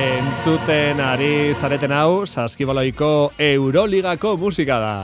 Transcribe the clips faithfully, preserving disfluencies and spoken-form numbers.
Entzuten ari zareten hau, Saskibaloiko Euroligako musika da.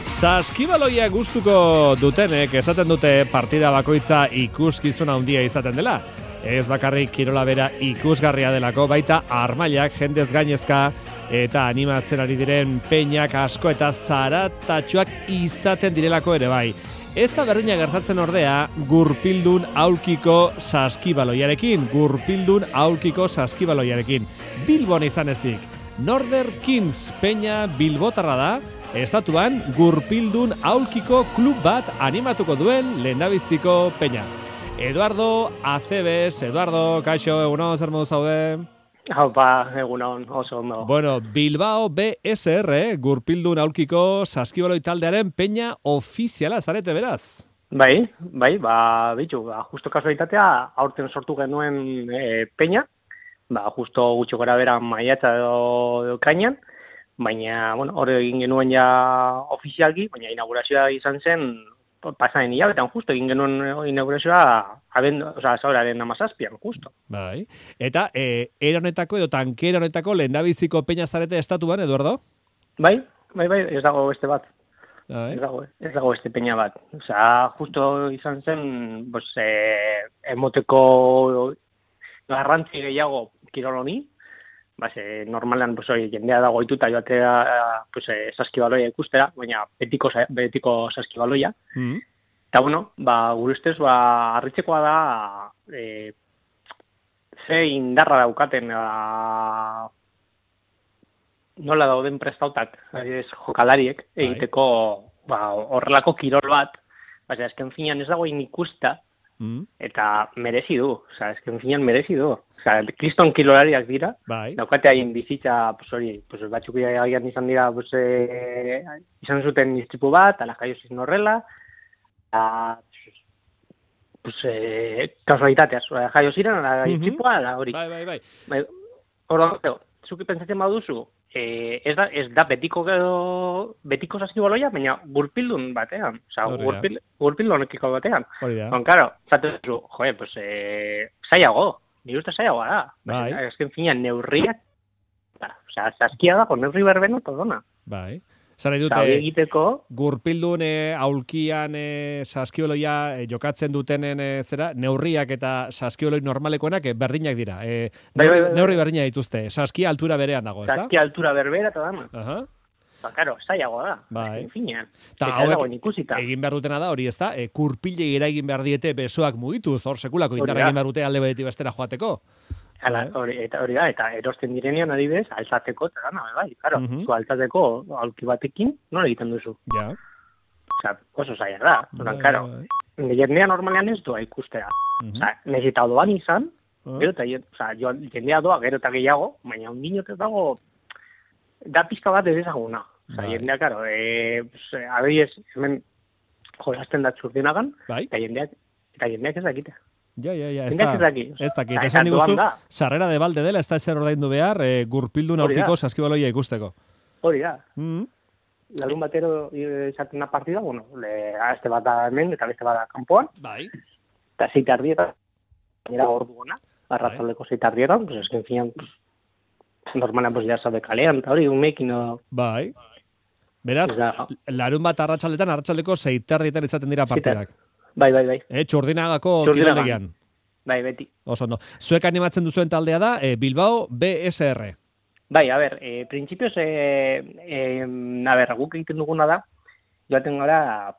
Saskibaloia gustuko dutenek esaten dute partida bakoitza ikuskizuna handia izaten dela. Ez bakarrik kirola bera ikusgarria delako, baita armailak jendez gainezka eta animatzen ari diren peinak asko eta zaratatxoak izaten direlako ere bai. Ez da berdina gertatzen ordea gurpildun aulkiko saskibaloiarekin, gurpildun aulkiko saskibaloiarekin. Bilbon izan ezik, Northern Kings peña bilbotarra da, estatuan gurpildun aulkiko klub bat animatuko duen lehendabiziko peña. Eduardo Acebes, Eduardo, kaixo, egunon, zer modu zaude? Haupa, egunon, oso ondo. Bueno, Bilbao B S R, gurpildun aulkiko saskibaloi taldearen peña ofiziala zarete beraz. Bai, bai, ba, bitu, ba, justo kasualitatea, aurten sortu genuen e, peña, ba, justo gutxo gara bera maiatza edo, edo kainan, baina, bueno, hori egin genuen ja ofizialki, baina inaugurazioa izan zen, pasaen hilabetan, justo, egin genuen inaugurazioa, aben, oza, zauraren amazazpian, justo. Bai, eta e, era honetako edo tankera honetako lehendabiziko peña zarete estatuan, Eduardo? Bai, bai, bai, ez dago beste bat. Bai. Ez dago, ez dago beste peña bat. Oza, justo izan zen, pues, eh, emoteko garrantzi gehiago kirol honi, base, normalan, pues, oi, jendea dago ituta joatea, pues, eh, saskibaloia ikustera, baina betiko, betiko saskibaloia. Mm. Eta, bueno, ba, gure ustez, ba, harritzekoa da, e, ze indarra daukaten, a, nola dauden prestautak, ez, jokalariek, egiteko, ba, horrelako kirol bat, base, azken finean ez dagoen ikusta, mm. eta merezi du, oza, azken finean merezi du. Oza, kriston kirolariak dira, bai. Daukate hain bizitza, pues hori, pues, batzuk agian izan dira, pues, e, izan zuten istripu bat, ala jaio zizun horrela, a, pues, eh, kasualitateaz, jaio ziren, ala istripua, ala hori. Bai, bai, bai. Hora, zuki pentsatzen baduzu, eh, ez da, ez da betiko, betiko saskibaloia, baina gurpildun batean, oza, gurpil, gurpildun ekiko batean. Hori da. Bon, karo, zaten zu, joe, pues, eh, zaiago, nire uste zaiagoa da. Bai. Ez que, en fina, neurriak, oza, saskia dago, neurri berbeno, todona. Bai. Zara dute, egiteko, gurpildun e, aulkian e, saskibaloia e, jokatzen dutenen e, zera, neurriak eta saskibaloi normalekoenak e, berdinak dira. E, neurri, bai, bai, bai. Neurri berdina dituzte, saskia altura berean dago, ez da? Saskia altura berbera eta dama. Aha. Ba, karo, zaiagoa da. Bai. Finean. Ta hauek egin behar dutena da, hori ez da, e, kurpile egin behar diete besoak mugituz, hor sekulako indarra egin behar dute alde beretik bestera joateko. Hala, hori, eta hori da, eta erosten direnean adibidez, altzateko, eta gana, bai, claro, uh -huh. zu altzateko aulki batekin, nola egiten duzu? Ja. Osa, oso zaila da, zoran, karo, jendea normalean ez doa ikustera. Uh -huh. Osa, nezita doan izan, uh -huh. gero eta, osa, jendea doa gero eta gehiago, baina ondinot ez dago, da pizka bat ez ezaguna. Osa, bai. Jendea, karo, e, adibidez, hemen jolazten da txurdinagan, bai. eta jendeak, eta jendeak ez dakite. Ja, ja, ja, ez da, ez dakit, esan diguzu, sarrera de balde dela, ez da ezer ordaindu behar, e, gurpildun aurkiko saskibaloia ikusteko. Hori da. Mm. Larun batero izaten da partida, bueno, le, este bat da hemen, eta beste bat da kanpoan. Bai. Eta zeite ardietan, nera gordu gona, arratzaldeko zeite ardietan, pues esken finan, pues, normalan, pues, ya sabe kalean, eta hori, umekin, no... Bai. Beraz, larun bat arratsaldetan, arratsaldeko zeite ardietan izaten dira partidak. Bai, bai, bai. Eh, Txurdinagako kiroldegian. Bai, beti. Oso ondo. Zuek animatzen duzuen taldea da, eh, Bilbao B S R. Bai, a ber, eh, principios, eh, eh, a ber, guk egiten duguna da, joaten gara,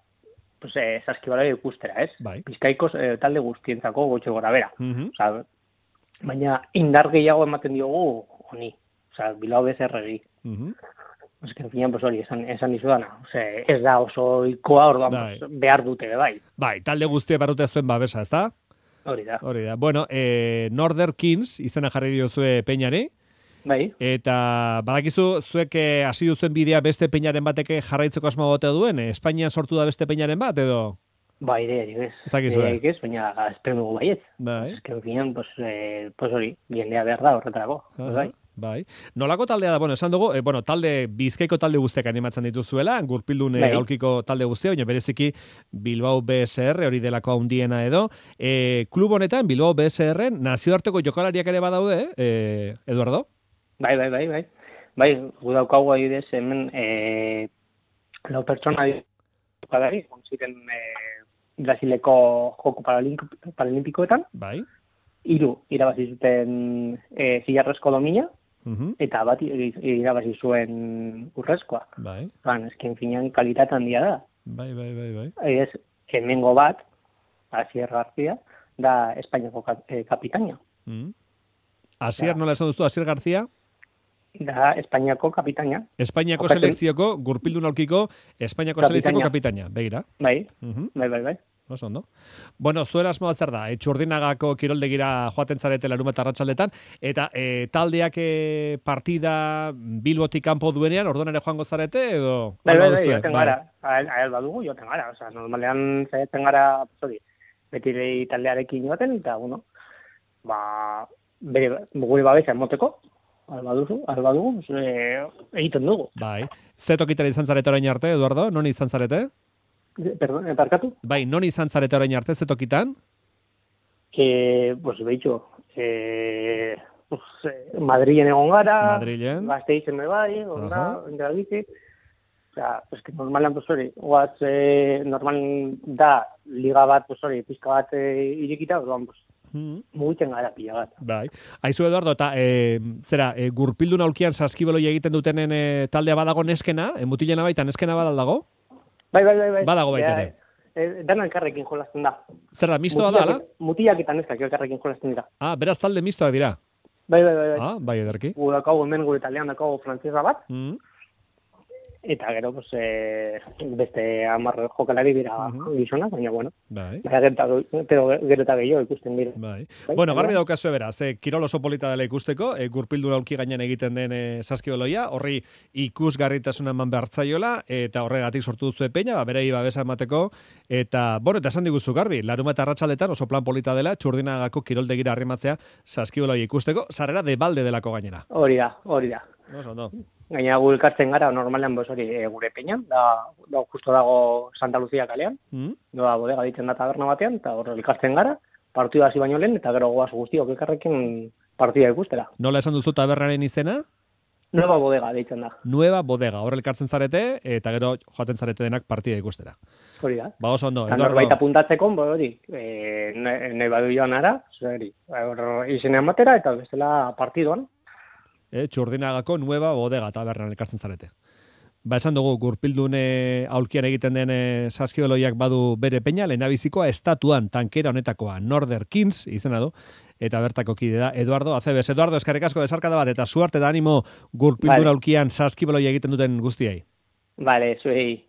pues, eh, saskibaloia ikustera, ez? Bai. Bizkaiko eh, talde guztientzako gutxi gora bera. Uh -huh. Osa, baina indar gehiago ematen diogu honi. Osa, Bilbao B S R-ri. Uh -huh. Ez que, en fin, pues, hori, esan, esan izudana. Ose, ez da oso ikoa orduan bai. Pues, behar dute, bai. Bai, talde guztia barrute zuen babesa, ez da? Hori da. Hori da. Bueno, eh, Northern Kings izena jarri diozue peñari. Bai. Eta badakizu, zuek hasi duzuen bidea beste peñaren bateke jarraitzeko asmo bote duen? Espainian sortu da beste peñaren bat, edo? Ba, ide, ez. Ez dakizu, eh? Ez, baina espero dugu baiet. Bai. Ez que, en fin, pues, eh, pues hori, biendea behar da horretarako. Uh -huh. Bai. Bai. Nolako taldea da, bueno, esan dugu, e, bueno, talde, Bizkaiko talde guztiak animatzen dituzuela, Gurpildun Bai. aulkiko talde guztia, baina bereziki Bilbao B S R, hori delako handiena edo. E, klub honetan, Bilbao B S R, nazioarteko jokalariak ere badaude, e, Eduardo? Bai, bai, bai, bai. Bai, gu daukagu adibidez hemen e, lau pertsona jokalari, ziren e, Brasileko Joko Paralimp- Paralimpikoetan, Bai. hiru irabazi zuten e, zilarrezko domina, Uh-huh. eta bat irabazi zuen urrezkoa. Bai. Ban, eskin finean kalitate handia da. Bai, bai, bai, bai. Ez, hemengo bat, Asier García, da Espainiako ka, eh, kapitaina. Mm. Asier, nola esan duztu, Asier García? Da Espainiako kapitaina. Espainiako Jokatzen- selekzioko, Gurpildun aulkiko, Espainiako Kapitaina. selekzioko kapitaina, begira. Bai, Uh-huh. bai, bai, bai. Oso ondo. Bueno, zuen asmoa zer da? E, Txurdinagako kiroldegira joaten zarete larunbat arratsaldetan eta e, taldeak e, partida Bilbotik kanpo duenean, orduan ere joango zarete edo? Bai, bai, bai, baduzue? joten gara. Ael badugu, joten gara. Osa, normalean zaitzen gara, hori, beti lehi taldearekin joaten, eta, bueno, ba, bere, gure babesa emoteko, alba duzu, alba dugu, e, egiten dugu. Bai. Ze tokitara izan zarete orain arte, Eduardo? Non izan zarete? Perdón, parkatu? Bai, non izan zarete orain arte, ze tokitan? Que, pues, behitxo, eh, pues, eh, Madrilen egon gara, Madrilen. Gasteizen me bai, egon da, Aha. Indrabizi. O sea, pues que normalan, pues hori, guaz, eh, normal da, liga bat, pues hori, pizka bat eh, irekita, orduan, pues, Mm. mugitzen gara pila bat. Bai. Aizu Eduardo, eta e, zera, e, Gurpildun aulkian saskibeloi egiten dutenen e, taldea badago neskena, e, mutilena baita neskena badaldago? Bai, bai, bai, bai. Badago baita Ja, ere. eh, dana elkarrekin jolasten da. Zer da, mistoa da, ala? Mutilak eta neskak elkarrekin jolasten dira. Ah, beraz talde mistoak dira. Bai, bai, bai, bai. Ah, bai ederki. Gu daukagu hemen gure taldean daukagu frantzesa bat, Mm. eta gero, pues, eh, beste hamar jokalari dira Mhm. gizonak, baina, bueno, Bai. baina gero eta gero eta gehiago ikusten dira. Bai. Bai, Bueno, bai, garbi bai. daukazu bera, ze kirol oso polita dela ikusteko, e, Gurpildun aulki gainean egiten den e, saskibeloia, horri ikusgarritasuna eman behartzaiola, eta horregatik sortu duzu peña, ba, berei babesa emateko, eta, bueno, eta esan diguzu garbi, larunbat arratsaldetan oso plan polita dela, Txurdinagako kiroldegira arrimatzea saskibeloia ikusteko, sarrera de balde delako gainera. Hori da, hori da. Oso ondo. Gaina gu elkartzen gara, normalean, bos, hori, e, gure peñan, da, da justo dago Santa Lucia kalean, Mm? doa bodega ditzen da taberna batean, eta hor elkartzen gara, partida hasi baino lehen, eta gero goaz guztiok elkarrekin partida ikustera. Nola esan duzu tabernaren izena? Nueva bodega deitzen da, Nueva Bodega, hor elkartzen zarete, eta gero joaten zarete denak partida ikustera. hori da. Ba oso ondo, Eta Eduardo. norbait apuntatzeko, bo, hori, e, nahi badu joan ara, hori, hor izenean batera, eta bestela partidoan. E, Txurdinagako Nueva Bodega tabernan elkartzen zarete. Ba, esan dugu, Gurpildun e, aulkian egiten den e, saskibeloiak badu bere peña, lehendabizikoa estatuan tankera honetakoa, Northern Kings, izena du, eta bertako kide da, Eduardo Acebes. Eduardo, eskerrik asko desarkada bat, eta suerte da animo Gurpildun Vale. aulkian saskibeloia egiten duten guztiei. Vale, zuei.